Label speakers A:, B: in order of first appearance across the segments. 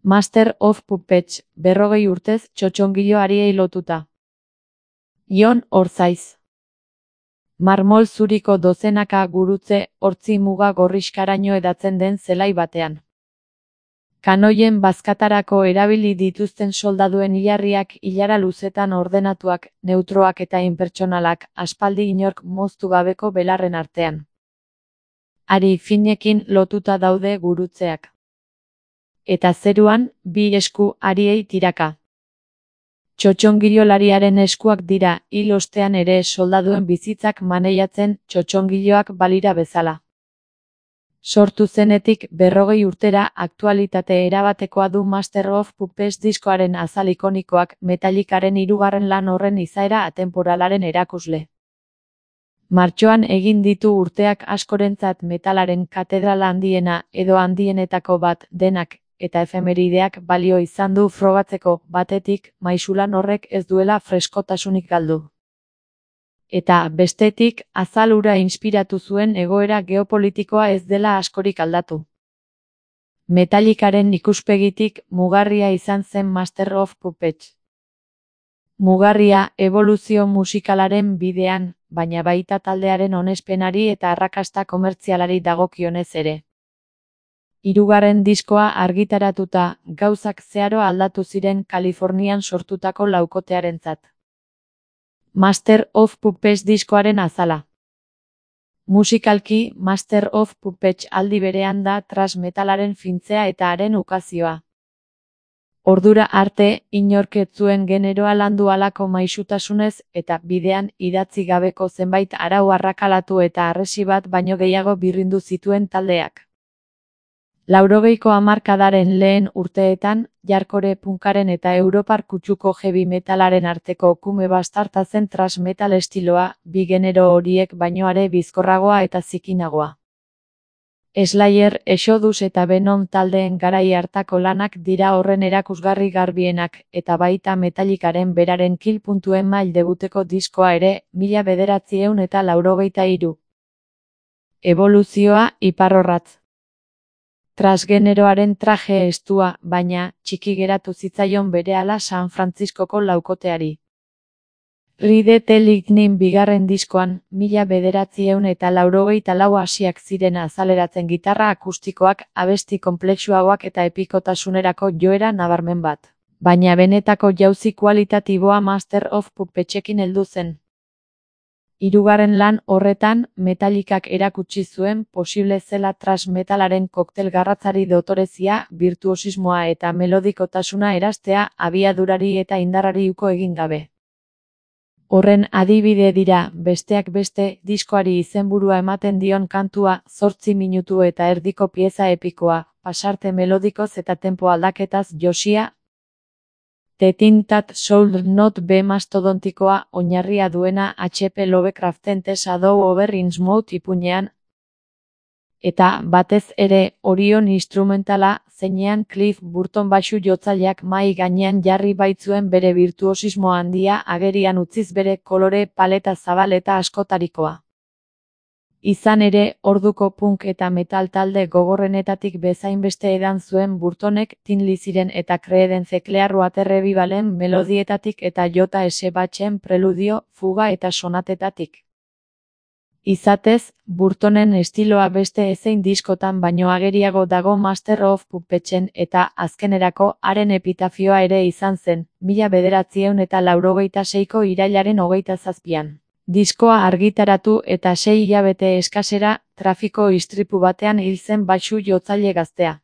A: Master of Puppets, 40 urtez txotxongilo ariei lotuta. Jon Orzaiz. Marmol zuriko dozenaka gurutze hortzi muga gorrixkaraino edatzen den zelai batean. Kanoien bazkatarako erabili dituzten soldaduen hilarriak ilara luzetan ordenatuak, neutroak eta inpertsonalak, aspaldi inork moztu gabeko belarren artean. Hari finekin lotuta daude gurutzeak. Eta zeruan, bi esku hariei tiraka. Txotxongilolariaren eskuak dira, hil ostean ere soldaduen bizitzak maneiatzen txotxongiloak balira bezala. Sortu zenetik 40 urtera aktualitate erabatekoa du Master of Puppets diskoaren azal ikonikoak Metallicaren 3. lan horren izaera atemporalaren erakusle. Martxoan egin ditu urteak askorentzat metalaren katedrala handiena edo handienetako bat denak, eta efemerideak balio izan du frogatzeko batetik maisulan horrek ez duela freskotasunik galdu. Eta, bestetik, azal hura inspiratu zuen egoera geopolitikoa ez dela askorik aldatu. Metallicaren ikuspegitik mugarria izan zen Master of Puppets. Mugarria eboluzio musikalaren bidean, baina baita taldearen onespenari eta arrakasta komertzialari dagokionez ere. 3. diskoa argitaratuta, gauzak zeharo aldatu ziren Kalifornian sortutako laukotearentzat. Master of Puppets diskoaren azala. Musikalki, Master of Puppets aldi berean da thrash metalaren fintzea eta haren ukazioa. Ordura arte, inork ez zuen generoa landu halako maisutasunez eta bidean idatzi gabeko zenbait arau arrakalatu eta harresi bat baino gehiago birrindu zituen taldeak. 80ko hamarkadaren lehen urteetan, jarkore punkaren eta europar kutsuko heavy metalaren arteko kume bastarta zen thrash metal estiloa, bi genero horiek baino are bizkorragoa eta zikinagoa. Slayer, Exodus eta Venom taldeen garai hartako lanak dira horren erakusgarri garbienak, eta baita Metallicaren beraren Kill.em mail debuteko diskoa ere, 1983. Eboluzioa, iparrorratz. Transgeneroaren traje estua, baina, txiki geratu zitzaion berehala San Frantziskoko laukoteari. Ride the Lightning 2. diskoan, 1984 hasiak ziren azaleratzen gitarra akustikoak, abesti konplexuagoak eta epikotasunerako joera nabarmen bat. Baina benetako jauzi kualitatiboa Master of Puppetsekin heldu zen. 3. lan horretan, Metallicak erakutsi zuen posible zela thrash metalaren koktel garratzari dotorezia, birtuosismoa eta melodikotasuna erastea abiadurari eta indarrari uko egin gabe. Horren adibide dira, besteak beste, diskoari izenburua ematen dion kantua, 8 minutu eta erdiko pieza epikoa, pasarte melodikoz eta tempo aldaketaz josia, The Thing That Should Not Be mastodontikoa oinarria duena H.P. Lovecraften The Shadow over Innsmouth ipuinean, eta, batez ere, Orion instrumentala, zeinean Cliff Burton baxu jotzaileak mahai gainean jarri baitzuen bere birtuosismo handia agerian utziz bere kolore paleta zabal eta askotarikoa. Izan ere, orduko punk eta metal talde gogorrenetatik bezainbeste edan zuen Burtonek Tin Liziren eta Creedence Clearwater Revivalen melodietatik eta J.S. Bachen preludio, fuga eta sonatetatik. Izatez, Burtonen estiloa beste ezein diskotan baino ageriago dago Master of Puppetsen eta, azkenerako, haren epitafioa ere izan zen, 1986ko irailaren 27. Diskoa argitaratu eta 6 hilabete eskasera, trafiko istripu batean hil zen baxu jotzaile gaztea.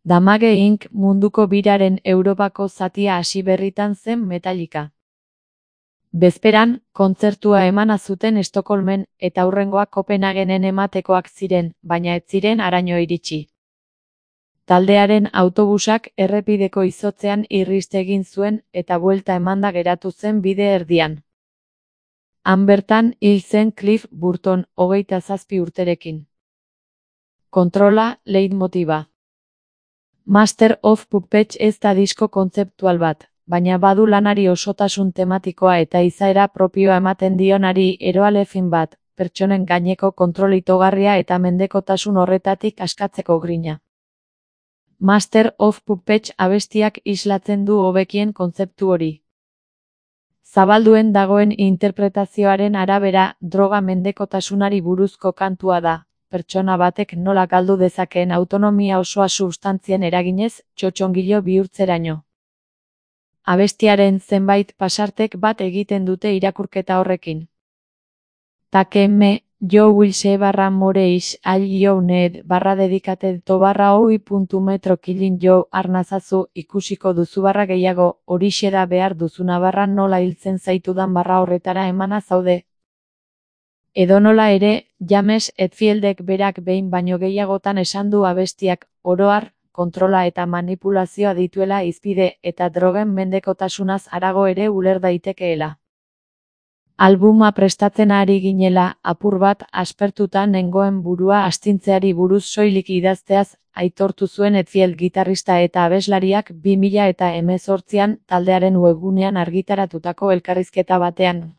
A: Damage Inc. munduko biraren Europako zatia hasi berritan zen Metallica. Bezperan, kontzertua emana zuten Estokolmen, eta hurrengoa Kopenhagenen ematekoak ziren, baina ez ziren haraino iritsi. Taldearen autobusak errepideko izotzean irrist egin zuen, eta buelta emanda geratu zen bide erdian. Han bertan hil zen Cliff Burton, 27 urterekin. Kontrola, leitmotiba. Master of Puppets ez da disko kontzeptual bat, baina badu lanari osotasun tematikoa eta izaera propioa ematen dionari eroale fin bat, pertsonen gaineko kontrol itogarria eta mendekotasun horretatik askatzeko grina. Master of Puppets abestiak islatzen du hobekien kontzeptu hori. Zabalduen dagoen interpretazioaren arabera, droga mendekotasunari buruzko kantua da, pertsona batek nola galdu dezakeen autonomia osoa substantzien eraginez, txotxongilo bihurtzeraino. Abestiaren zenbait pasartek bat egiten dute irakurketa horrekin. Take me, yo will se barra moreish all you need barra dedicated to barra hoi.metro killing you arnazazu ikusiko duzu barra gehiago, horixe da behar duzuna barra nola hiltzen zaitudan barra horretara emana zaude. Edonola ere, James Hetfieldek berak behin baino gehiagotan esan du abestiak, oro har, kontrola eta manipulazioa dituela hizpide eta drogen mendekotasunaz harago ere uler daitekeela. Albuma prestatzen ari ginela, apur bat aspertuta nengoen burua astintzeari buruz soilik idazteaz, aitortu zuen Hetfield gitarrista eta abeslariak 2018an taldearen webgunean argitaratutako elkarrizketa batean.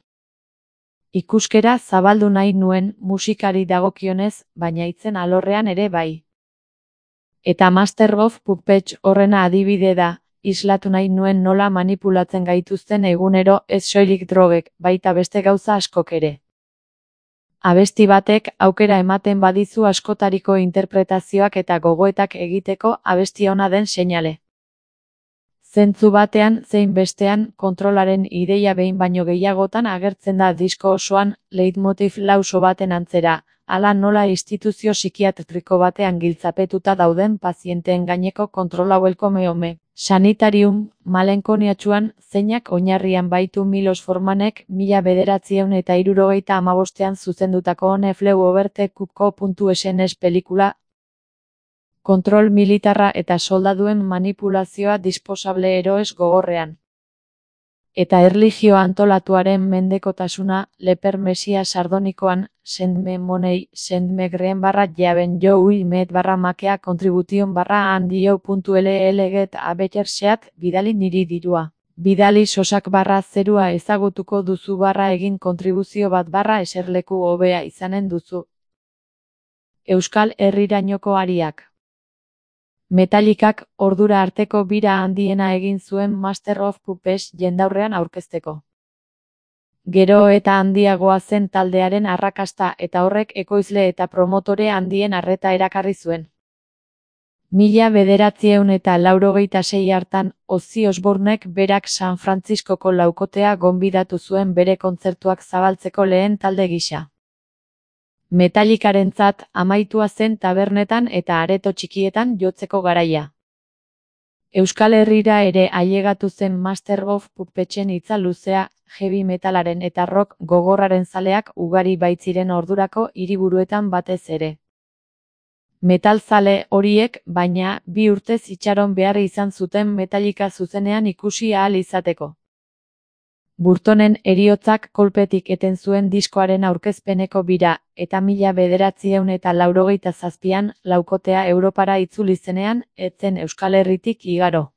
A: Ikuskera zabaldu nahi nuen musikari dagokionez, baina hitzen alorrean ere bai. Eta Master of Puppets horrena adibide da, islatu nahi nuen nola manipulatzen gaituzten egunero ez soilik drogek, baita beste gauza askok ere. Abesti batek aukera ematen badizu askotariko interpretazioak eta gogoetak egiteko abesti ona den seinale. Zentzu batean zein bestean kontrolaren ideia behin baino gehiagotan agertzen da disko osoan, leitmotiv lauso baten antzera, hala nola instituzio psikiatriko batean giltzapetuta dauden pazienteen gaineko kontrola welcome sanitarium, malenkoniatsuan, zeinak oinarrian baitu Milos Formanek 1975ean zuzendutako On a Flew Over the Cuckoo.sns pelikula, kontrol militarra eta soldaduen manipulazioa disposable eroes gogorrean. Eta erlijio antolatuaren mendekotasuna, leper mesia sardonikoan, send me money, send me green barra jaben jo met barra makea contribution barra handio.ll get a better shot, bidali niri dirua. Bidali sosak barra zerua ezagutuko duzu barra egin kontribuzio bat barra eserleku hobea izanen duzu. Euskal Herrirainoko ariak. Metallicak ordura arteko bira handiena egin zuen Master of Puppets jendaurrean aurkezteko. Gero eta handiagoa zen taldearen arrakasta eta horrek ekoizle eta promotore handien arreta erakarri zuen. 1986 hartan, Ozzy Osbournek berak San Frantziskoko laukotea gonbidatu zuen bere kontzertuak zabaltzeko lehen talde gisa. Metallicarentzat amaitua zen tabernetan eta areto txikietan jotzeko garaia. Euskal Herrira ere ailegatu zen Master of Puppetsen hitza luzea, heavy metalaren eta rock gogorraren zaleak ugari baitziren ordurako hiriburuetan batez ere. Metalzale horiek, baina, 2 urtez itxaron behar izan zuten Metallica zuzenean ikusi ahal izateko. Burtonen heriotzak kolpetik eten zuen diskoaren aurkezpeneko bira, eta 1987an laukotea Europara itzuli zenean, ez zen Euskal Herritik igaro.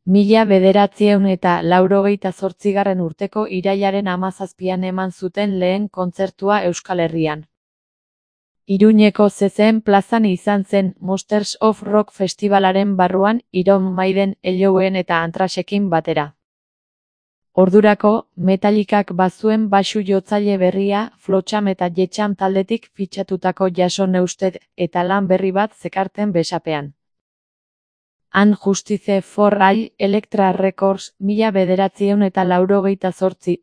A: 1988 urteko irailaren 17an eman zuten lehen kontzertua Euskal Herrian. Iruñeko CCen plazan izan zen Monsters of Rock festivalaren barruan Iron Maiden, Ellowen eta Anthraxekin batera. Ordurako, Metallicak bazuen baxu jotzaile berria, Flotsam eta Jetxam taldetik fitxatutako Jason Newsted eta lan berri bat zekarten besapean. And Justice for All, Elektra Records, 1988.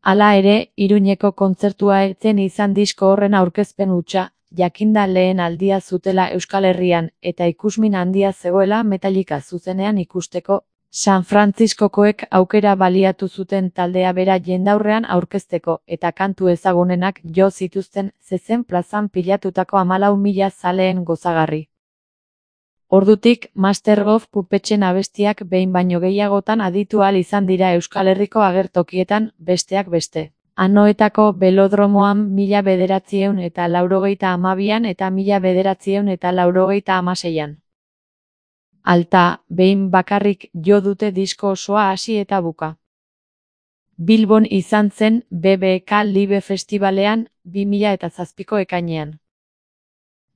A: Hala ere, Iruñeko kontzertua ez zen izan disko horren aurkezpen hutsa, jakinda lehen aldia zutela Euskal Herrian eta ikusmin handia zegoela Metallica zuzenean ikusteko, San Frantziskokoek aukera baliatu zuten taldea bera jendaurrean aurkezteko eta kantu ezagunenak jo zituzten zezen plazan pilatutako 14.000 zaleen gozagarri. Ordutik, Master of Puppetsen abestiak behin baino gehiagotan aditu ahal izan dira Euskal Herriko agertokietan, besteak beste. Anoetako belodromoan 1982an eta 1986an. Alta, behin bakarrik jo dute disko osoa hasi eta buka. Bilbon izan zen BBK Live Festivalean 2007ko ekainean.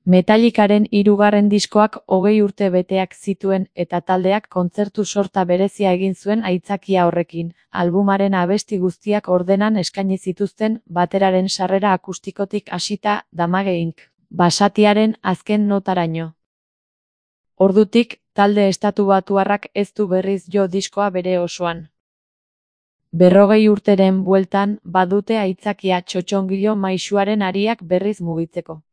A: Metallicaren hirugarren diskoak 20 urte beteak zituen eta taldeak kontzertu sorta berezia egin zuen aitzakia horrekin, albumaren abesti guztiak ordenan eskaini zituzten bateraren sarrera akustikotik hasita Damage Inc. basatiaren azken notaraino. Ordutik, talde estatubatuarrak ez du berriz jo diskoa bere osoan. 40 urteren bueltan badute aitzakia txotxongilo maisuaren hariak berriz mugitzeko.